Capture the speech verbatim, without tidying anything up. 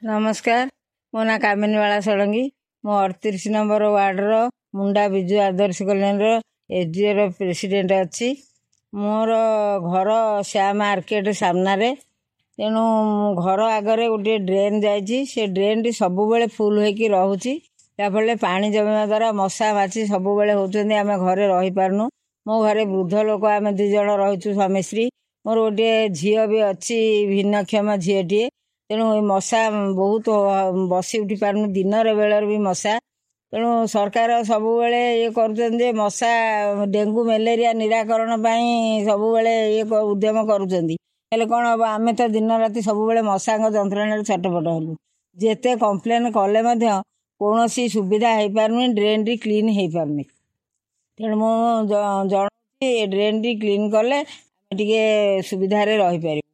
ନମସ୍କାର, ମୋ ନାଁ କାମିନୀବାଳା ଷଡ଼ଙ୍ଗୀ। ମୁଁ ଅଠତିରିଶ ନମ୍ବର ୱାର୍ଡ଼ର ମୁଣ୍ଡା ବିଜୁ ଆଦର୍ଶ କଲୋନୀର ଏସ୍ଡିଓର ପ୍ରେସିଡେଣ୍ଟ ଅଛି। ମୋର ଘର ଶ୍ୟାମ ମାର୍କେଟ ସାମ୍ନାରେ। ତେଣୁ ଘର ଆଗରେ ଗୋଟିଏ ଡ୍ରେନ୍ ଯାଇଛି, ସେ ଡ୍ରେନ୍ଟି ସବୁବେଳେ ଫୁଲ୍ ହେଇକି ରହୁଛି, ଯାହାଫଳରେ ପାଣି ଜମିବା ଦ୍ୱାରା ମଶା ମାଛି ସବୁବେଳେ ହେଉଛନ୍ତି। ଆମେ ଘରେ ରହିପାରୁନୁ। ମୋ ଘରେ ବୃଦ୍ଧ ଲୋକ ଆମେ ଦୁଇ ଜଣ ରହିଛୁ, ସ୍ୱାମୀ ସ୍ତ୍ରୀ। ମୋର ଗୋଟିଏ ଝିଅ ବି ଅଛି, ଭିନ୍ନକ୍ଷମ ଝିଅଟିଏ। ତେଣୁ ଏ ମଶା ବହୁତ, ବସି ଉଠି ପାରୁନୁ, ଦିନରେ ବେଳରେ ବି ମଶା। ତେଣୁ ସରକାର ସବୁବେଳେ ଇଏ କରୁଛନ୍ତି ଯେ ମଶା ଡେଙ୍ଗୁ ମ୍ୟାଲେରିଆ ନିରାକରଣ ପାଇଁ ସବୁବେଳେ ଇଏ ଉଦ୍ୟମ କରୁଛନ୍ତି। ହେଲେ କ'ଣ ହେବ, ଆମେ ତ ଦିନ ରାତି ସବୁବେଳେ ମଶାଙ୍କ ଯନ୍ତ୍ରଣାରେ ଛଟପଟ ହେଲୁ। ଯେତେ କମ୍ପ୍ଲେନ୍ କଲେ ମଧ୍ୟ କୌଣସି ସୁବିଧା ହେଇପାରୁନି, ଡ୍ରେନ୍ଟି କ୍ଲିନ୍ ହେଇପାରୁନି। ତେଣୁ ମୁଁ ଜଣାଉଛି, ଏ ଡ୍ରେନ୍ଟି କ୍ଲିନ୍ କଲେ ଆମେ ଟିକେ ସୁବିଧାରେ ରହିପାରିବୁ।